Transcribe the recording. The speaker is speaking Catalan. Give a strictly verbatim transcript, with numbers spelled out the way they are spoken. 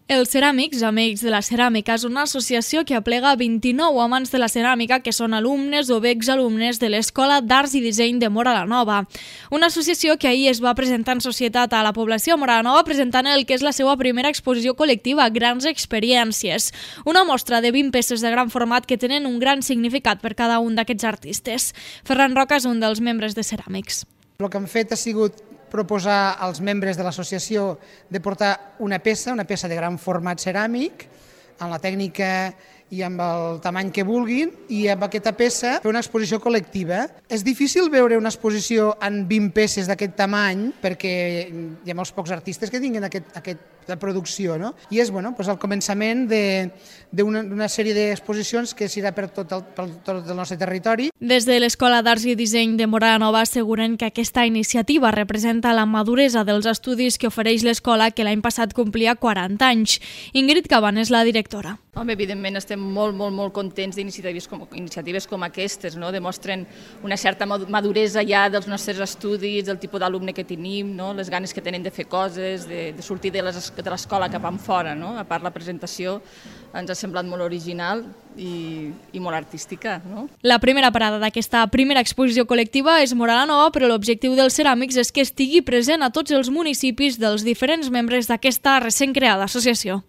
Els Ceràmics, Amics de la Ceràmica, és una associació que aplega vint-i-nou amants de la ceràmica que són alumnes o exalumnes de l'Escola d'Arts i Disseny de Móra la Nova. Una associació que ahir es va presentar en societat a la població de Móra la Nova presentant el que és la seva primera exposició col·lectiva, Grans Experiències. Una mostra de vint peces de gran format que tenen un gran significat per cada un d'aquests artistes. Ferran Roca és un dels membres de Ceràmics. El que hem fet ha sigut proposar als membres de l'associació de portar una peça, una peça de gran format ceràmic, en la tècnica i amb el tamany que vulguin, i amb aquesta peça fer una exposició col·lectiva. És difícil veure una exposició en vint peces d'aquest tamany perquè hi ha molts pocs artistes que tinguin aquest, aquesta producció, no? I és bueno, doncs el començament d'una sèrie d'exposicions que serà per tot el, per tot el nostre territori. Des de l'Escola d'Arts i Disseny de Móra la Nova asseguren que aquesta iniciativa representa la maduresa dels estudis que ofereix l'escola, que l'any passat complia quaranta anys. Ingrid Caban és la directora. Home, evidentment estem molt, molt, molt contents d'iniciatives com, iniciatives com aquestes, no? Demostren una certa maduresa ja dels nostres estudis, del tipus d'alumne que tenim, no? Les ganes que tenen de fer coses, de, de sortir de l'escola cap enfora, no? A part, la presentació ens ha semblat molt original i, i molt artística, no? La primera parada d'aquesta primera exposició col·lectiva és Móra la Nova, però l'objectiu dels Ceràmics és que estigui present a tots els municipis dels diferents membres d'aquesta recent creada associació.